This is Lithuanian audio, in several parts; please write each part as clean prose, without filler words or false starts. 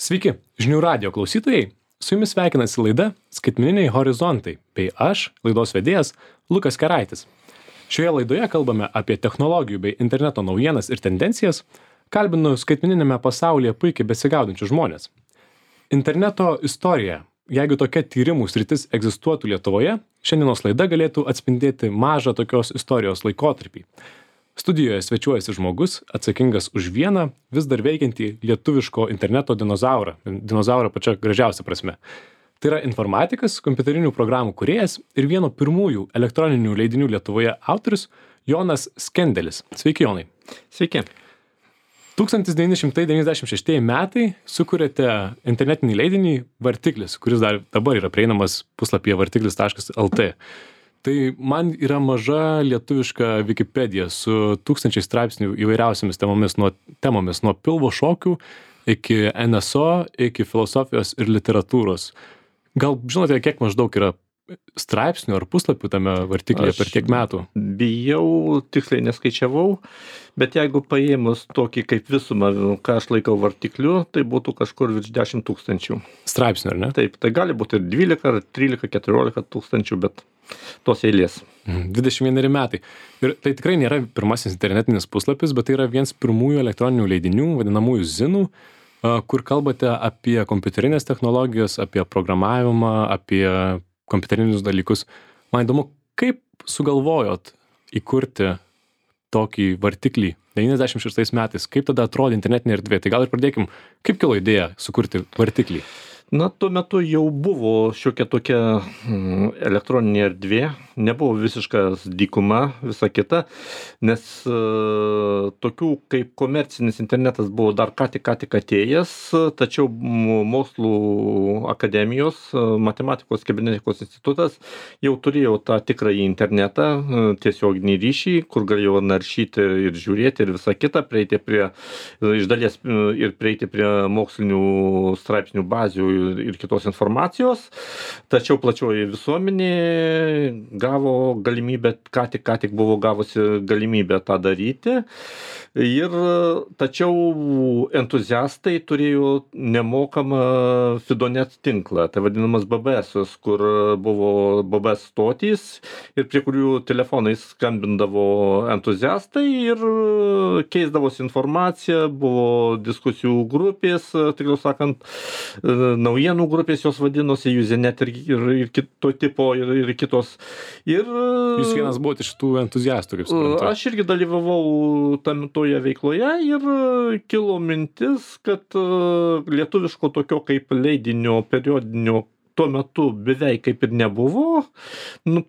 Sveiki, žinių radio klausytojai. Su jumis sveikinasi laida Skaitmeniniai horizontai, bei aš, laidos vedėjas Lukas Keraitis. Šioje laidoje kalbame apie technologijų bei interneto naujienas ir tendencijas, kalbinu skaitmeninėme pasaulyje puikiai besigaudančius žmonės. Interneto istorija. Jeigu tokia tyrimų sritis egzistuotų Lietuvoje, šiandienos laida galėtų atspindėti mažą tokios istorijos laikotarpį. Studijoje svečiuojasi žmogus, atsakingas už vieną vis dar veikiantį lietuviško interneto dinozaurą. Dinozaurą pačia gražiausia prasme. Tai yra informatikas, kompiuterinių programų kūrėjas ir vieno pirmųjų elektroninių leidinių Lietuvoje autorius Jonas Skendelis. Sveiki, Jonai. Sveiki. 1996 metai sukūrėte internetinį leidinį Vartiklis, kuris dabar yra prieinamas puslapyje vartiklis.lt. Tai man yra maža lietuviška Wikipedija su tūkstančiais straipsnių įvairiausiamis temomis, nuo pilvo šokių iki NSO, iki filosofijos ir literatūros. Gal žinote, kiek maždaug yra straipsnių ar puslapių tame Vartiklyje per tiek metų? Bijau, tiksliai neskaičiavau, bet jeigu paėmus tokį kaip visumą, ką aš laikau Vartikliu, tai būtų kažkur virš 10 000. Straipsnių, ar ne? Taip, tai gali būti ir 12, ar 13, 14 tūkstančių, bet tos eilės. 21 metai. Ir tai tikrai nėra pirmasis internetinis puslapis, bet tai yra vienas pirmųjų elektroninių leidinių, vadinamųjų zinų, kur kalbate apie kompiuterinės technologijas, apie programavimą, apie kompiuterinius dalykus. Man įdomu, kaip sugalvojot įkurti tokį Vartiklį 96 metais? Kaip tada atrodė internetinė erdvė? Tai gal ir pradėkim, kaip kilo idėja sukurti Vartiklį? Na, tuo metu jau buvo šiokia tokia elektroninė erdvė, nebuvo visiškas dykuma, visa kita, nes tokių kaip komercinis internetas buvo dar ką tik atėjęs, tačiau mokslų akademijos, matematikos kibernetikos institutas jau turėjo tą tikrąjį internetą, tiesioginį ryšį, kur galėjo naršyti ir žiūrėti ir visa kita, prieiti prie, iš dalies ir prieiti prie mokslinių straipsnių bazių ir kitos informacijos, tačiau plačioji visuomenė gavo galimybę, ką tik buvo gavusi galimybę tą daryti, tačiau entuziastai turėjo nemokamą Fidonet tinklą, tai vadinamas BBS, kur buvo BBS stotys ir prie kurių telefonais skambindavo entuziastai ir keisdavosi informacija, buvo diskusijų grupės, tikriau sakant, naujienų grupės jos vadinosi, Usenet ir kito tipo ir kitos. Jūs vienas buvote iš tų entuziastų, kaip suprantu. Aš irgi dalyvavau toje veikloje ir kilo mintis, kad lietuviško tokio kaip leidinio periodinio tuo metu beveik kaip ir nebuvo.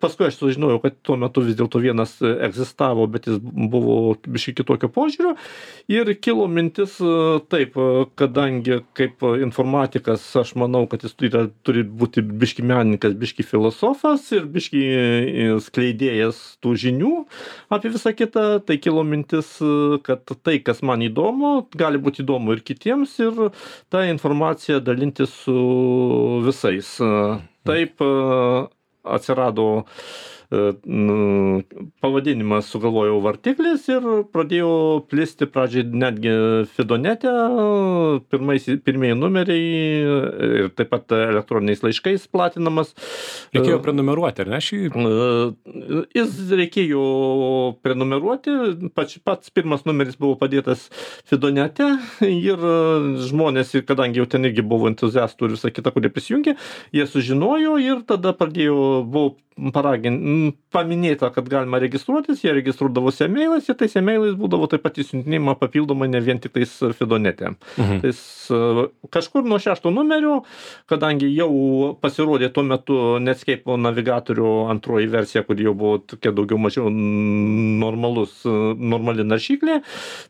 Paskui aš sužinojau, kad tuo metu vis dėlto vienas egzistavo, bet jis buvo biškai kitokio požiūrio. Ir kilo mintis taip, kadangi kaip informatikas, aš manau, kad jis turi būti biškai menininkas, biškai filosofas ir biškai skleidėjas tų žinių apie visą kitą, tai kilo mintis, kad tai, kas man įdomu, gali būti įdomu ir kitiems ir tą informaciją dalintis su visais. Taip atsirado pavadinimas, sugalvojau Vartiklis ir pradėjo plisti pradžiai netgi Fidonete, pirmieji numeriai ir taip pat elektroniniais laiškais platinamas. Reikėjo prenumeruoti, ar ne šį? Jis reikėjo prenumeruoti, pats pirmas numeris buvo padėtas Fidonete ir žmonės, kadangi jau ten irgi buvo entuziastų ir visą kitą, kurie prisijungė, jie sužinojo ir tada buvo paminėta, kad galima registruotis, jie registruodavosi e-mailais ir tais e-mailais būdavo taip pat įsiuntinėjama papildomai ne vien tik tais Fidonete. Tais, kažkur nuo 6 numerio, kadangi jau pasirodė tuo metu Netscape navigatorių antroji versija, kur jau buvo tokia daugiau mažiau normali naršyklė,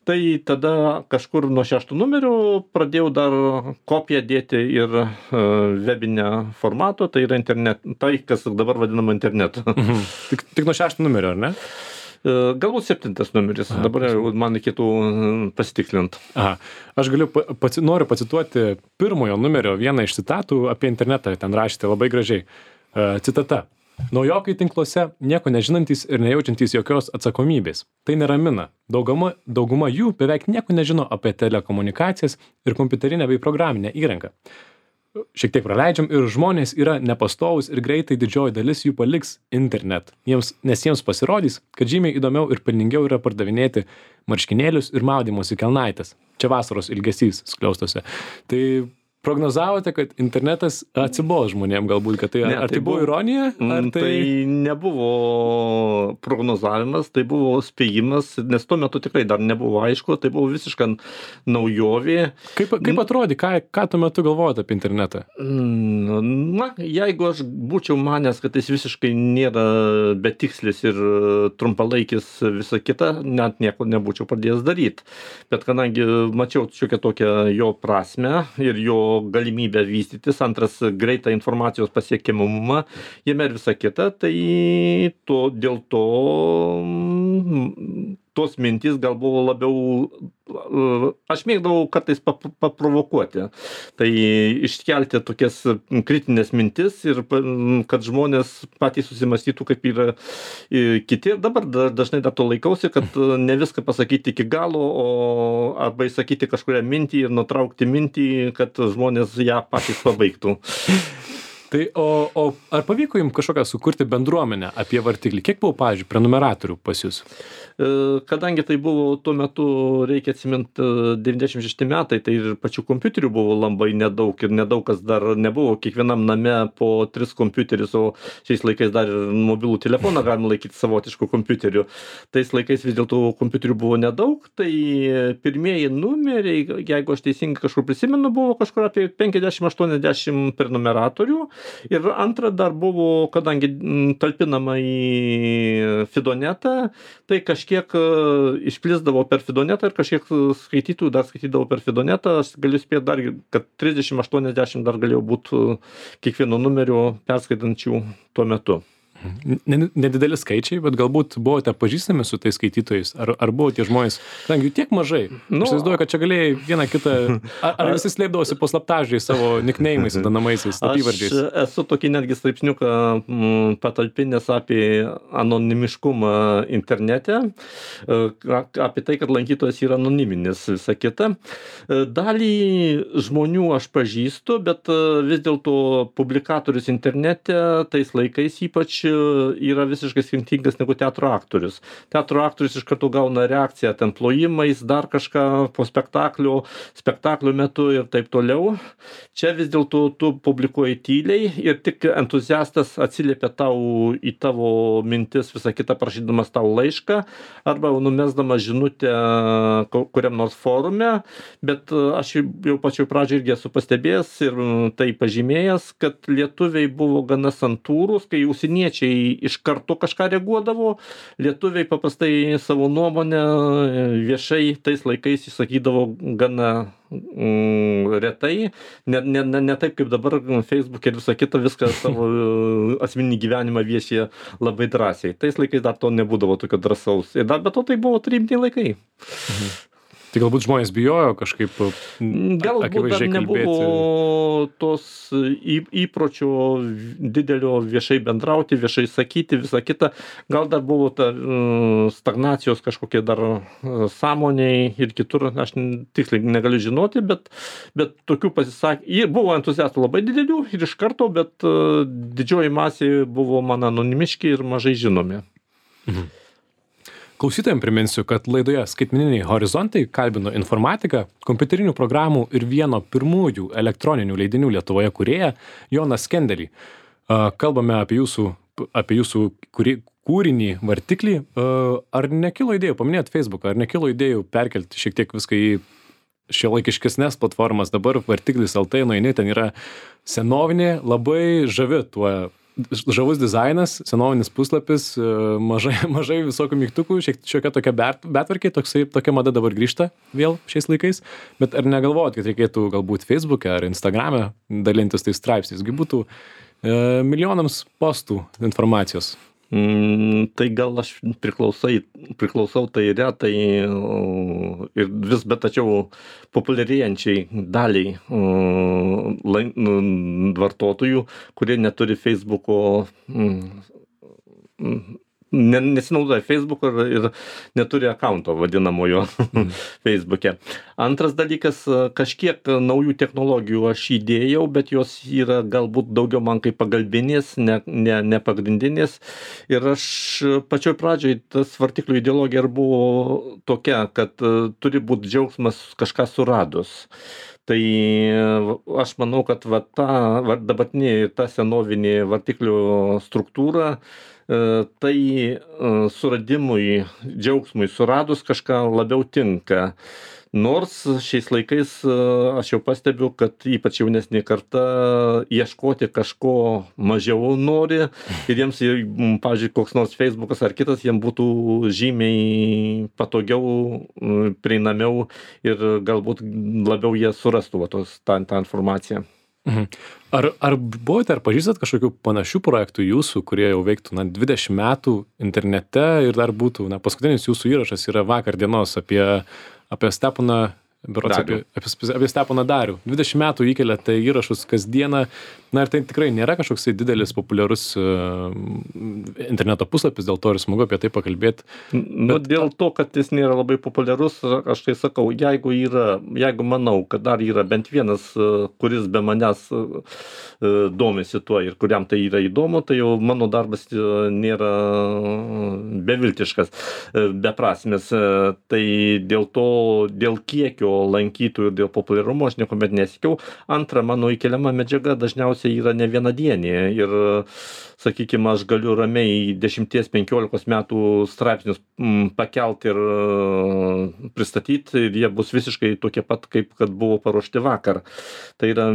tai tada kažkur nuo 6 numerio pradėjau dar kopiją dėti ir webinę formato, tai yra tai, kas dabar vadinama internetu. Tik nuo 6 numerio, ar ne? Galbūt 7 numeris, dabar man reikėtų pasitikslint. Aš noriu pacituoti pirmojo numerio vieną iš citatų apie internetą, ten rašėte labai gražiai. Citata. Naujokai tinkluose nieko nežinantys ir nejaučiantys jokios atsakomybės. Tai neramina. Dauguma jų beveik nieko nežino apie telekomunikacijas ir kompiuterinę bei programinę įrangą. Šiek tiek praleidžiam ir žmonės yra nepastovūs ir greitai didžioji dalis jų paliks internet. Nes jiems pasirodys, kad žymiai įdomiau ir pelningiau yra pardavinėti marškinėlius ir maudymosi kelnaites. Čia vasaros ilgesys skliaustuose. Tai prognozavote, kad internetas atsibos žmonėm galbūt, kad tai, ar tai buvo ironija? Tai nebuvo prognozavimas, tai buvo spėjimas, nes tuo metu tikrai dar nebuvo aišku, tai buvo visiška naujovė. Kaip atrodė, ką tuo metu galvojate apie internetą? Na, jeigu aš būčiau manęs, kad jis visiškai nėra betikslis ir trumpalaikis visą kitą, net nieko nebūčiau pradėjęs daryti. Bet kadangi mačiau šiokią tokią jo prasmę ir jo galimybę vystytis, antras greitą informacijos pasiekiamumą, jame ir visa kita, tai dėl to tos mintys gal buvo labiau, aš mėgdavau kartais paprovokuoti, tai iškelti tokias kritinės mintis ir kad žmonės patys susimastytų, kaip yra kiti. Ir dabar dažnai dar to laikausi, kad ne viską pasakyti iki galo, arba įsakyti kažkurią mintį ir nutraukti mintį, kad žmonės ją patys pabaigtų. Tai o ar pavyko jums kažkokią sukurti bendruomenę apie vartiklį? Kiek buvo, pavyzdžiui, prenumeratorių pas jūs? Kadangi tai buvo tuo metu, reikia atsiminti, 96 metai, tai ir pačių kompiuterių buvo labai nedaug ir nedaug kas dar nebuvo. Kiekvienam name po 3 kompiuterius, o šiais laikais dar ir mobilų telefoną galima laikyti savotišku kompiuteriu. Tais laikais vis dėlto kompiuterių buvo nedaug, tai pirmieji numeriai, jeigu aš teisingai kažkur prisimenu, buvo kažkur apie 50-80 prenumeratorių. Ir antra dar buvo, kadangi talpinama į Fidonetą, tai kažkiek išplisdavo per Fidonetą ir kažkiek skaitytojų dar skaitydavo per Fidonetą. Aš galiu spėti dar, kad 30-80 dar galėjo būti kiekvieno numerio perskaitančių tuo metu. Nedideli skaičiai, bet galbūt buvote pažįstami su tais skaitytojais, ar buvo tie žmonės, kadangi jų tiek mažai. Aš įsivaizduoju, kad čia galėjai vieną kitą, ar visi slėpdavosi po slaptažodžiais savo nickname'ais, vadinamaisiais, slapyvardžiais? Aš esu tokį netgi straipsniuką patalpinęs apie anonimiškumą internete, apie tai, kad lankytojas yra anoniminis, visa kita. Dalį žmonių aš pažįstu, bet vis dėlto publikatorius internete tais laikais ypač yra visiškai skirtingas negu teatro aktorius. Teatro aktorius iš karto gauna reakciją, ten plojimais, dar kažką po spektaklio metu ir taip toliau. Čia vis dėlto tu publikuoji tyliai ir tik entuziastas atsiliepia tau į tavo mintis, visą kitą prašydamas tau laišką arba numesdamas žinutę kuriam nors forume, bet aš jau pačioj pradžioj irgi esu pastebėjęs ir tai pažymėjęs, kad lietuviai buvo gana santūrūs, kai užsieniečiai iš karto kažką reaguodavo, lietuviai paprastai savo nuomonę viešai tais laikais įsakydavo gana retai, ne taip kaip dabar Facebook ir visą kitą, viską savo asmeninį gyvenimą viešė labai drąsiai. Tais laikais dar to nebūdavo tokio drąsaus. Ir dar be to tai buvo rimti laikai. Tai galbūt žmonės bijojo kažkaip galbūt dar nebuvo tos įpročio didelio viešai bendrauti, viešai sakyti, visą kitą. Gal dar buvo ta stagnacijos kažkokie dar sąmoniai ir kitur, aš tiksliai negaliu žinoti, bet tokių pasisakymų, buvo entuziastų labai didelių ir iš karto, bet didžioji masė buvo man anonimiški ir mažai žinomi. Klausytojams priminsiu, kad laidoje Skaitmeniniai horizontai kalbino informatiką, kompiuterinių programų ir vieno pirmųjų elektroninių leidinių Lietuvoje kūrėją Joną Skendelį. Kalbame apie jūsų kūrinį Vartiklį. Ar nekilo idėjų, paminėjot Facebooką, ar nekilo idėjų perkelti šiek tiek viską į šiuolaikiškesnes platformas? Dabar Vartiklis LT nueini, ten yra senovinė, labai žavi tuo. Žavus dizainas, senovinis puslapis, mažai visokių mygtukų, šiokia tokia betvarkė, tokia mada dabar grįžta vėl šiais laikais, bet ar negalvojat, kad reikėtų galbūt Facebook'e ar Instagram'e dalintis tais straipsniais, būtų milijonams postų informacijos? Tai gal aš priklausau tai retai ir vis, bet tačiau populiarėjančiai daliai vartotojų, kurie neturi Facebooko, nesinaudoja Facebooku ir neturi akaunto vadinamojo Facebook'e. Antras dalykas, kažkiek naujų technologijų aš įdėjau, bet jos yra galbūt daugiau man kaip pagalbinės, ne pagrindinės. Ir aš pačioj pradžioj tas vartiklių ideologija ir buvo tokia, kad turi būti džiaugsmas kažką suradus. Tai aš manau, kad dabartinė ta senovinė vartiklių struktūra, tai suradimui, džiaugsmui suradus kažką labiau tinka. Nors šiais laikais aš jau pastebiu, kad ypač jaunesnė karta ieškoti kažko mažiau nori ir jiems, pavyzdžiui, koks nors Facebookas ar kitas, jiems būtų žymiai patogiau, prieinamiau ir galbūt labiau jie surastų tą informaciją. Ar buvote, ar pažįstat kažkokių panašių projektų jūsų, kurie jau veiktų 20 metų internete ir dar būtų, paskutinis jūsų įrašas yra vakar dienos apie Steponą, apie Steponą Darių. 20 metų įkeliate įrašus kasdieną, ir tai tikrai nėra kažkoks didelis populiarus interneto puslapis, dėl to ir smagu apie tai pakalbėti. Dėl to, kad jis nėra labai populiarus, aš tai sakau, jeigu manau, kad dar yra bent vienas, kuris be manęs domisi tuo ir kuriam tai yra įdomu, tai jau mano darbas nėra beviltiškas, beprasmis. Tai dėl kiekio lankytojų ir dėl populiarumo aš niekuomet nesiekiau. Antra, mano įkeliama medžiaga dažniausiai yra ne vienadienė ir, sakykime, aš galiu ramiai 10-15 metų straipsnius pakelti ir pristatyti ir jie bus visiškai tokie pat, kaip kad buvo paruošti vakar. Tai yra,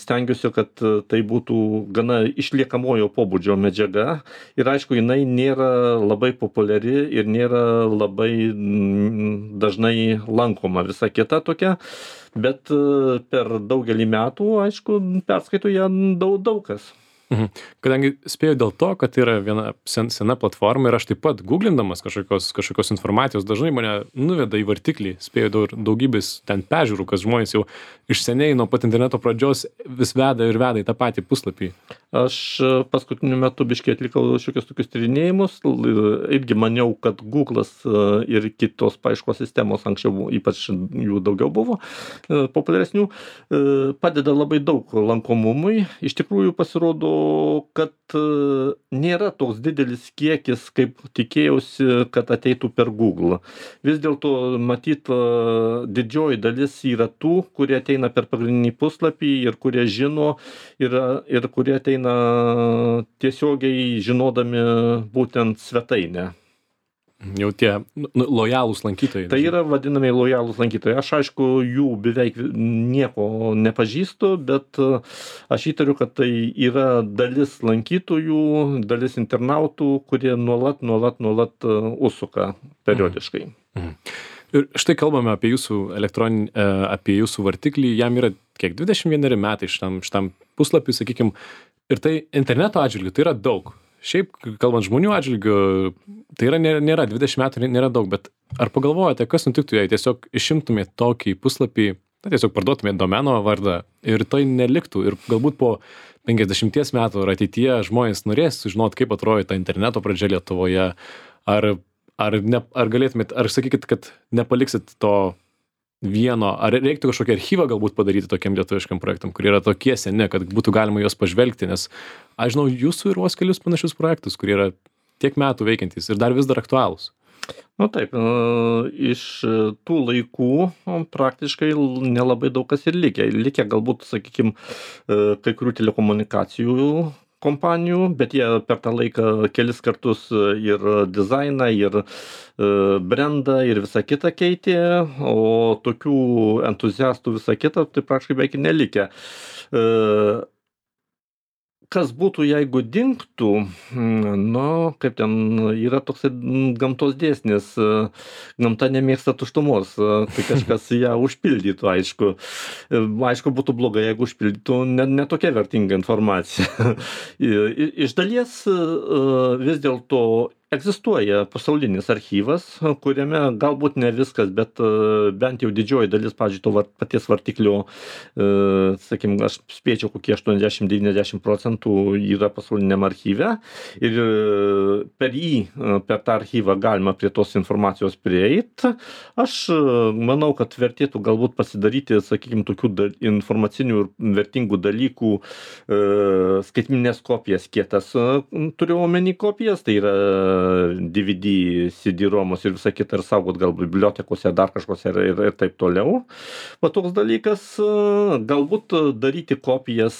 stengiuosi, kad tai būtų gana išliekamojo pobūdžio medžiaga ir aišku, jinai nėra labai populiari ir nėra labai dažnai lankoma visa kita tokia, bet per daugelį metų, aišku, perskaito ją daug kas. Kadangi spėjau dėl to, kad tai yra viena sena platforma ir aš taip pat googlindamas kažkokios informacijos dažnai mane nuveda į vartiklį, spėjau daugybės ten peržiūrų, kas žmonės jau iš seniai nuo pat interneto pradžios vis veda į tą patį puslapį. Aš paskutiniu metu biškai atlikau šiokius tokius tyrinėjimus, irgi maniau, kad Google'as ir kitos paieškos sistemos, anksčiau ypač jų daugiau buvo populiaresnių, padeda labai daug lankomumui. Iš tikrųjų pasirodo, kad nėra toks didelis kiekis, kaip tikėjausi, kad ateitų per Google. Vis dėlto matyt, didžioji dalis yra tų, kurie ateina per pagrindinį puslapį ir kurie žino ir kurie ateina tiesiogiai žinodami būtent svetainę. Jau tie lojalūs lankytojai. Tai yra vadinami lojalūs lankytojai. Aš aišku, jų beveik nieko nepažįstu, bet aš įtariu, kad tai yra dalis lankytojų, dalis internautų, kurie nuolat užsuka periodiškai. Ir štai kalbame apie jūsų vartiklį, jam yra kiek 21 metai šitam puslapiui, sakykim, ir tai interneto atžvilgiu tai yra daug. Šiaip, kalbant žmonių atžvilgiu, tai nėra 20 metų, nėra daug, bet ar pagalvojate, kas nutiktų, jei tiesiog išimtumėte tokį puslapį, tiesiog parduotumėte domeno vardą ir tai neliktų ir galbūt po 50 metų ar ateityje žmonės norės sužinoti, kaip atrodo ta interneto pradžia Lietuvoje, ar galėtumėt, ar sakykit, kad nepaliksit to vieno, ar reiktų kažkokį archyvą galbūt padaryti tokiam lietuviškam projektam, kurie yra tokie seni, kad būtų galima juos pažvelgti, nes aš žinau jūsų ir vos kelius panašius projektus, kurie yra tiek metų veikiantys ir dar vis dar aktualūs. Taip, iš tų laikų praktiškai nelabai daug kas ir likę galbūt, sakykime, kai kurių telekomunikacijų kompanijų, bet jie per tą laiką kelis kartus ir dizainą, ir brendą, ir visą kitą keitė, o tokių entuziastų visą kitą, tai praktiškai beveik nelikę. kas būtų, jeigu dingtų, nu, kaip ten yra toks gamtos dėsnis, gamta nemėgsta tuštumos, tai kažkas ją užpildytų, aišku. Aišku, būtų blogai, jeigu užpildytų ne tokia vertinga informacija. Iš dalies vis dėlto egzistuoja pasaulinis archyvas, kuriame galbūt ne viskas, bet bent jau didžioji dalis, pavyzdžiui, to paties vartiklio, sakykime, aš spėčiau, kokie 80-90% yra pasauliniam archyve ir per tą archyvą galima prie tos informacijos prieiti. Aš manau, kad vertėtų galbūt pasidaryti, sakykime, tokių informacinių ir vertingų dalykų skaitmeninės kopijas, kietas turiu omeny kopijas, tai yra DVD, CD-romos ir visą kitą ir saugot gal bibliotekose, dar kažkose ir taip toliau. Va toks dalykas, galbūt daryti kopijas,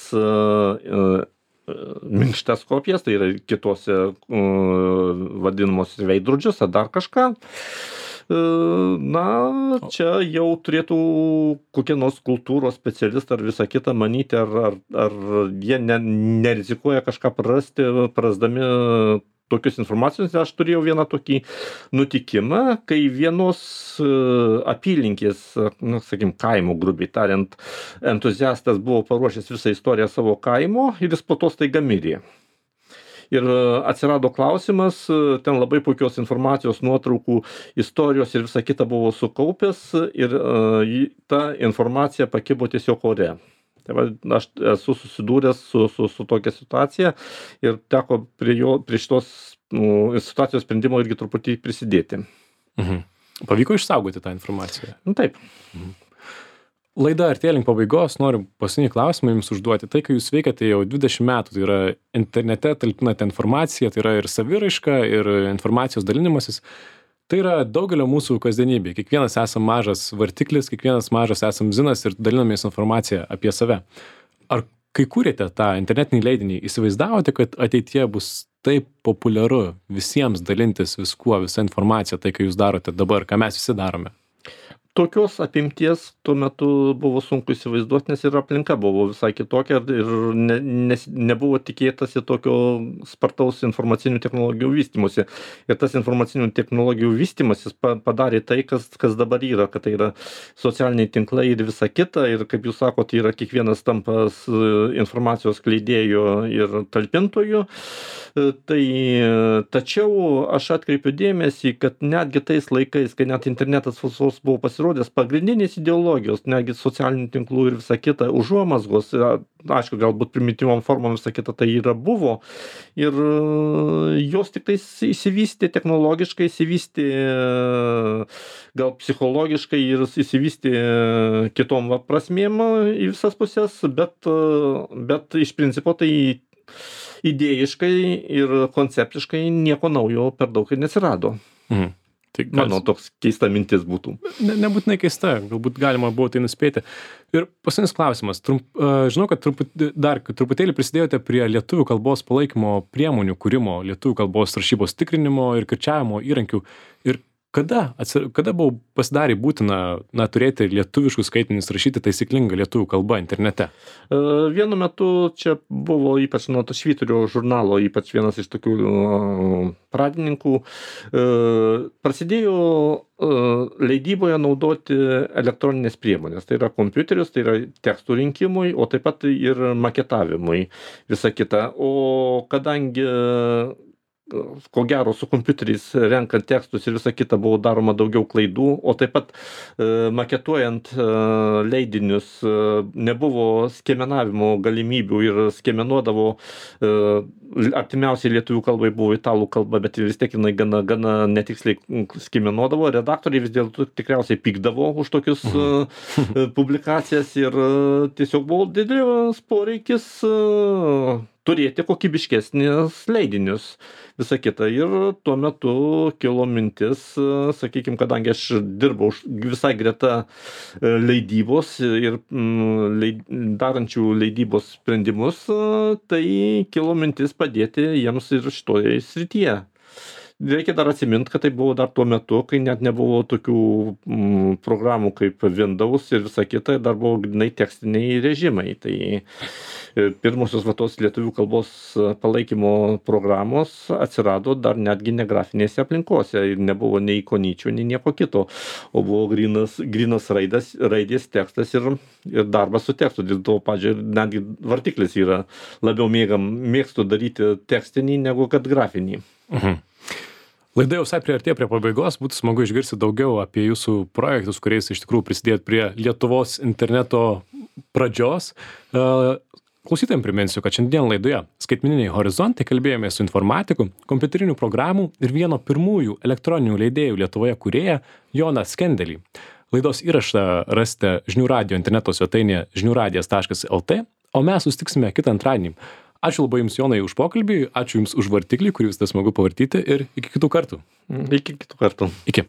minkštas kopijas, tai yra kitose vadinamos veidrodžius ar dar kažką. Na, čia jau turėtų kokie nors kultūros specialistai ar visą kitą manyti, ar jie nerizikuoja kažką prarasdami tokius informacijos. Aš turėjau vieną tokį nutikimą, kai vienos apylinkės, sakykim, kaimo, grubiai tariant, entuziastas buvo paruošęs visą istoriją savo kaimo ir jis po to staiga mirė. Ir atsirado klausimas, ten labai puikios informacijos, nuotraukų, istorijos ir visa kita buvo sukaupęs ir ta informacija pakibo tiesiog ore. Tai va, aš esu susidūręs su tokia situacija ir teko prie šitos situacijos sprendimo irgi truputį prisidėti. Pavyko išsaugoti tą informaciją? Taip. Laida artėja link pabaigos, noriu paskutinį klausimą jums užduoti. Tai, kai jūs veikiate jau 20 metų, tai yra internete talpinate informaciją, tai yra ir saviraiška, ir informacijos dalinimasis. Tai yra daugelio mūsų kasdienybė. Kiekvienas esam mažas vartiklis, kiekvienas mažas esam zinas ir dalinamės informaciją apie save. Ar kai kūrėte tą internetinį leidinį, įsivaizdavote, kad ateityje bus taip populiaru visiems dalintis viskuo, visą informaciją, tai, kai jūs darote dabar, ką mes visi darome? Tokios apimties tuo metu buvo sunku įsivaizduoti, nes ir aplinka buvo visai kitokia ir nebuvo tikėtasi tokio spartaus informacinių technologijų vystymosi. Ir tas informacinių technologijų vystymasis padarė tai, kas dabar yra, kad tai yra socialiniai tinklai ir visa kita. Ir kaip jūs sakote, yra kiekvienas tampas informacijos skleidėjų ir talpintojų. Tačiau aš atkreipiu dėmesį, kad netgi tais laikais, kai net internetas buvo pasirodęs, pagrindinės ideologijos, netgi socialinių tinklų ir visa kita, užuomazgos, aišku, galbūt primityvom formom visa kita tai yra buvo, ir jos tik tais įsivystė technologiškai, įsivystė gal psichologiškai ir įsivystė kitom prasmėm į visas pusės, bet iš principo tai idėjiškai ir konceptiškai nieko naujo per daug ir neatsirado. Tai Mano toks keista mintis būtų. Nebūtinai keista, galbūt galima buvo tai nuspėti. Ir paskutinis klausimas. Žinau, kad truputėlį prisidėjote prie lietuvių kalbos palaikymo priemonių kūrimo, lietuvių kalbos rašybos tikrinimo ir kirčiavimo įrankių. Ir kada pasidarė būtina turėti lietuviškus skaitmenis, rašyti taisyklingą lietuvių kalbą internete? Vienu metu čia buvo ypač nuo to Švyturio žurnalo, ypač vienas iš tokių pradininkų, prasidėjo leidyboje naudoti elektroninės priemonės. Tai yra kompiuterius, tai yra tekstų rinkimui, o taip pat ir maketavimui visa kita. O kadangi ko gero su kompiuteriais renkant tekstus ir visa kita buvo daroma daugiau klaidų, o taip pat maketuojant leidinius nebuvo skiemenavimo galimybių ir skiemenuodavo artimiausiai lietuvių kalbai buvo italų kalba, bet vis tiek jinai gana netiksliai skiemenuodavo. Redaktoriai vis dėlto tikriausiai pykdavo už tokius publikacijas ir tiesiog buvo didelis poreikis turėti kokybiškesnius leidinius, visa kita. Ir tuo metu kilo mintis, sakykime, kadangi aš dirbau visai greta leidybos ir darančių leidybos sprendimus, tai kilo mintis padėti jiems ir šitoje srityje. Reikia dar atsiminti, kad tai buvo dar tuo metu, kai net nebuvo tokių programų kaip Windows ir visa kita, dar buvo grynai tekstiniai režimai. Tai pirmosios va tos lietuvių kalbos palaikymo programos atsirado dar netgi ne grafinėse aplinkose ir nebuvo nei ikonyčių, nei nieko kito, o buvo grynas raidės tekstas ir darbas su tekstu. Dėl to, pavyzdžiui, netgi vartiklis yra labiau mėgstu daryti tekstinį negu kad grafinį. Laida jau visai priartėjo prie pabaigos, būtų smagu išgirsti daugiau apie jūsų projektus, kuriais iš tikrųjų prisidėjot prie Lietuvos interneto pradžios. Klausytojams priminsiu, kad šiandien laidoje Skaitmeniniai horizontai kalbėjome su informatiku, kompiuterinių programų ir vieno pirmųjų elektroninių leidėjų Lietuvoje kūrėja Joną Skendelį. Laidos įrašą rasite Žinių radijo interneto svetainėje žiniųradijas.lt, o mes susitiksime kitą antradienį. Ačiū labai Jums, Jonai, už pokalbį, ačiū Jums už vartiklį, kurį visada smagu pavartyti ir iki kitų kartų. Iki kitų kartų. Iki.